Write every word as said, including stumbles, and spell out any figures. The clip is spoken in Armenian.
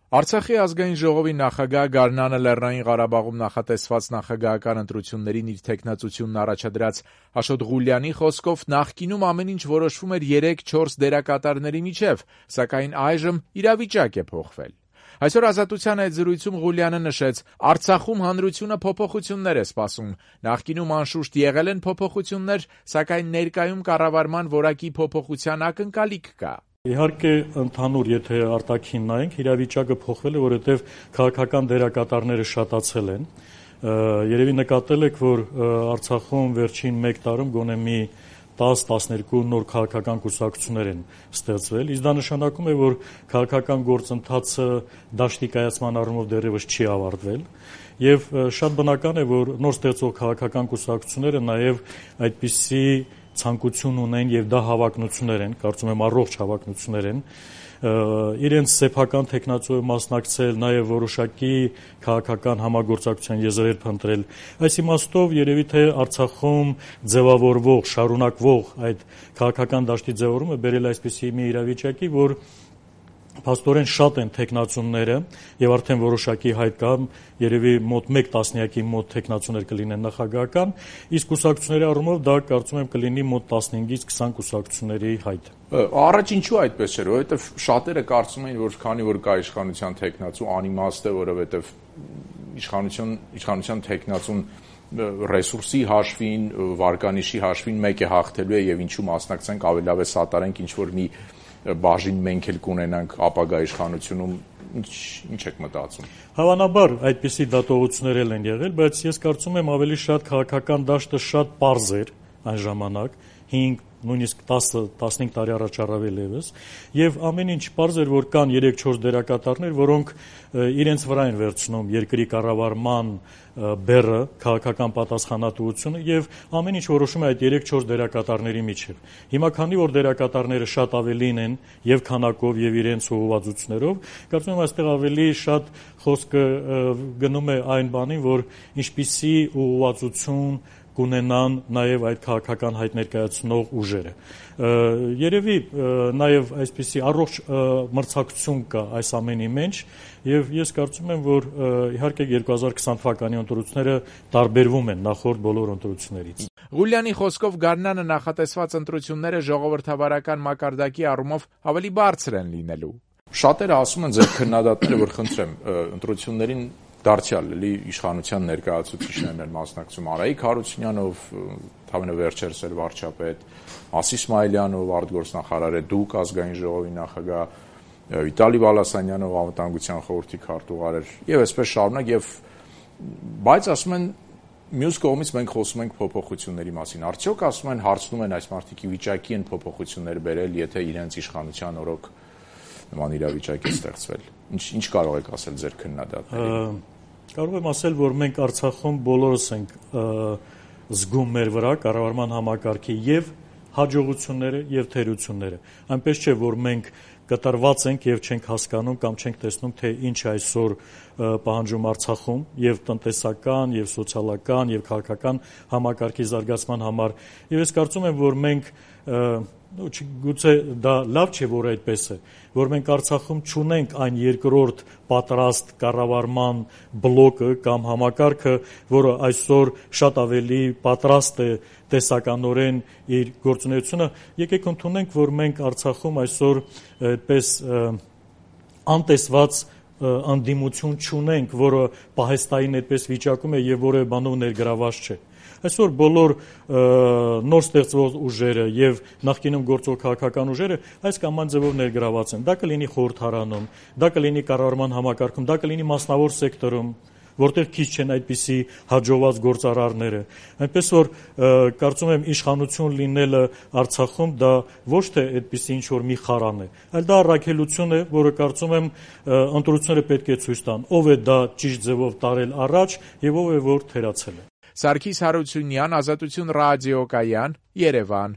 Արցախի ազգային ժողովի նախագահ Գարնանը Լեռնային Ղարաբաղում նախատեսված նախագահական ընտրություններին իր թեկնածությունն առաջադրած Աշոտ Ղուլյանի խոսքով նախկինում ամեն ինչ որոշվում էր երեք-չորս դերակատարների միջև, սակայն այժմ իրավիճակ է փոխվել։ Այսօր Ազատության հետ զրույցում Ղուլյանը նշեց, Արցախում հանրությունը փոփոխություններ է սպասում, նախկինում անշուշտ եղել են փոփոխություններ, սակայն ներկայում կառավարման որակի փոփոխության ակնկալիք կա։ Իհարկե ընդհանուր, եթե արտաքին նայենք, իրավիճակը փոխվել է, որովհետև քաղաքական դերակատարները շատացել են։ Երևի նկատել եք, որ Արցախում վերջին մեկ տարում գոնե մի տաս-տասներկու նոր քաղաքական կուսակցություններ են ստեղծվել, իսկ դա նշանակում է, որ քաղաքական գործընթացը դաշտի կայացման առումով դեռևս չի ավարտվել, եւ շատ բնական է, որ նոր ստեղծող քաղաքական կուսակցությունները նաեւ այդպիսի ցանկություն ունեն եւ դա հավակնություններ են, կարծում եմ առողջ հավակնություններ են, իրենց սեփական տեխնացուով մասնակցել, նաեւ որոշակի քաղաքական համագործակցության եզրեր փնտրել։ Այս իմաստով երևի թե Արցախում ձևավորվող, շարունակվող այդ քաղաքական դաշտի ձևավորումը բերել այսպիսի մի իրավիճակի, որ փաստորեն շատ են տեխնացուները եւ արդեն որոշակի հայտ կա, երևի մոտ մեկ տասնյակի մոտ տեխնացուներ կլինեն նախագահական, իսկ կուսակցությունների առումով դա կարծում եմ կլինի մոտ տասնհինգից քսան կուսակցությունների հայտ։ Առաջ ինչու այդպես չէր, որովհետեւ շատերը կարծում էին, որ քանի որ կա իշխանության տեխնացու, անիմաստ է, որովհետեւ իշխանություն իշխանության տեխնացուն ռեսուրսի հաշվին, վարկանիշի հաշվին մեկ է հաղթելու է եւ ինչու մասնակցենք, ավելի լավ է սատարենք ինչ որ մի բաժին մենք էլ կունենանք ապագա իշխանությունում, ինչ ինչ եք մտածում։ Հավանաբար այդպիսի դատողություններ են եղել, բայց ես կարծում եմ ավելի շատ քաղաքական դաշտը շատ պարզ էր այն ժամանակ, հինգ նույնիսկ տասը տասնհինգ տարի առաջ առավել եւս, եւ ամեն ինչ պարզ էր, որ կան երեք-չորս դերակատարներ, որոնք իրենց վրա են վերցնում երկրի կառավարման բեռը, քաղաքական պատասխանատվությունը եւ ամեն ինչ որոշում է այդ երեք-չորս դերակատարների միջև։ Հիմա քանի որ դերակատարները շատ ավելին են եւ քանակով եւ իրենց ուղղվածություններով, կարծում եմ այստեղ ավելի շատ խոսքը գնում է այն բանին, որ ինչպիսի ուղղվածություն կունենան նաև այդ քաղաքական հայտ ներկայացնող ուժերը։ Երևի նաև այսպիսի առողջ մրցակցություն կա այս ամենի մեջ եւ ես կարծում եմ, որ իհարկե երկու հազար քսան թվականի ընտրությունները տարբերվում են նախորդ բոլոր ընտրություններից։ Ղուլյանի խոսքով Գարնանը նախատեսված ընտրությունները ժողովրդավարական մակարդակի առումով ավելի բարձր են լինելու։ Շատերը ասում են ձեր քննադատները, որ խնդրեմ, ընտրություններին դարձյալ էլի իշխանության ներկայացուցիչներն են մասնակցում Արայիկ Հարությունյանով, թավենը վերջերս էլ վարչապետ, Ասի Իսմայելյանով, արտգործնախարար է դուք ազգային ժողովի նախագահ, Վիտալի Բալասանյանով անվտանգության խորհրդի քարտուղար էր եւ այսպես շարունակ եւ բայց ասում են մյուս կողմից մենք խոսում ենք փոփոխությունների մասին։ Արդյոք ասում են հարցնում են այս մարդիկի վիճակի են փոփոխություններ բերել, եթե իրենց իշխանության օրոք նման իրավիճակ է ստեղծվել։ Ինչ ինչ կարող եք ասել ձեր քննադատներին։ Կարող եմ ասել, որ մենք Արցախում բոլորս ենք զգում մեր վրա կառավարման համակարգի եւ հաջողությունները եւ թերությունները։ Այնպես չէ, որ մենք կտրված ենք եւ չենք հասկանում կամ չենք տեսնում, թե ինչ այսօր պահանջում Արցախում եւ տնտեսական, եւ սոցիալական, եւ քաղաքական համակարգի զարգացման համար։ Եվ ես կարծում եմ, որ մենք գուցե դա լավ չէ, որ այդպես է, որ մենք Արցախում չունենք այն երկրորդ պատրաստ կառավարման բլոկը կամ համակարգը, որը այսօր շատ ավելի պատրաստ է տեսականորեն իր գործունեությունը։ Եկեք ընդունենք, որ մենք Արցախում այսօր այդպես անտեսված անդիմություն չունենք, որը պահեստային այդպես վիճակում է եւ որը բանով ներգրաված չէ։ Այսօր բոլոր նոր ստեղծվող ուժերը եւ նախկինում գործող քաղաքական ուժերը այս կամ այն ձևով ներգրաված են։ Դա կլինի խորհրդարանում, դա կլինի կառավարման համակարգում, դա կլինի մասնավոր սեկտորում, որտեղ քիչ չեն այդպիսի հաջողված գործարարները։ Այնպես որ կարծում եմ իշխանություն լինելը Արցախում դա ոչ թե այդպիսի ինչ որ մի խարան է, այլ դա առաքելություն է, որը կարծում եմ ընտրությունները պետք է ցույց տան, ով է դա ճիշտ ձևով տարել առաջ եւ ով է որ թերացել է։ Սարգիս Հարությունյան, Ազատություն ռադիոկայան, Երևան։